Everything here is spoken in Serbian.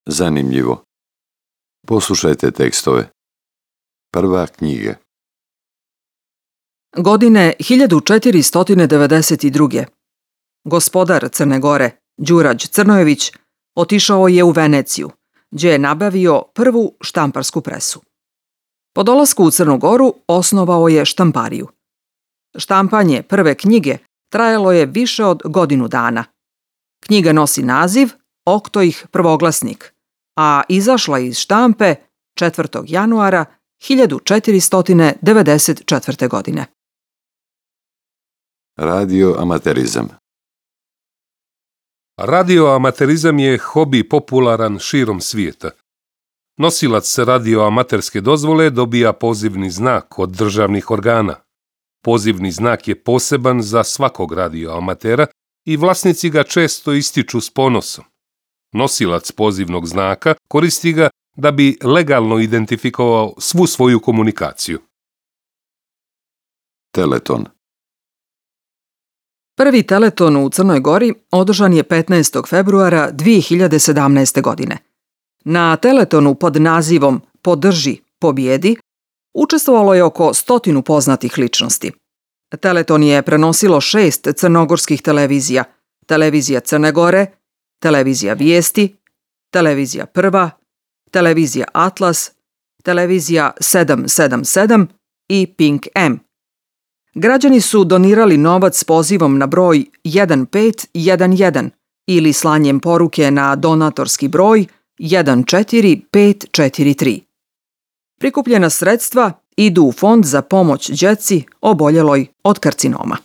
Zanimljivo. Poslušajte tekstove. Prva knjiga. Godine 1492. Gospodar Crne Gore, Đurađ Crnojević, otišao je u Veneciju, gdje je nabavio prvu štamparsku presu. Po dolasku u Crnu Goru osnovao je štampariju. Štampanje prve knjige trajalo je više od godinu dana. Knjiga nosi naziv Oktoih prvoglasnik, a izašla je iz štampe 4. januara 1494. godine. Radioamaterizam. Radioamaterizam je hobi popularan širom svijeta. Nosilac radioamaterske dozvole dobija pozivni znak od državnih organa. Pozivni znak je poseban za svakog radioamatera i vlasnici ga često ističu s ponosom. Nosilac pozivnog znaka koristi ga da bi legalno identifikovao svu svoju komunikaciju. Teleton. Prvi teleton u Crnoj Gori održan je 15. februara 2017. godine. Na teletonu pod nazivom Podrži, pobjedi učestvovalo je oko 100 poznatih ličnosti. Teleton je prenosilo 6 crnogorskih televizija: Televizija Crne Gore, Televizija Vijesti, Televizija Prva, Televizija Atlas, Televizija 777 i Pink M. Građani su donirali novac s pozivom na broj 1511 ili slanjem poruke na donatorski broj 14543. Prikupljena sredstva idu u fond za pomoć djeci oboljeloj od karcinoma.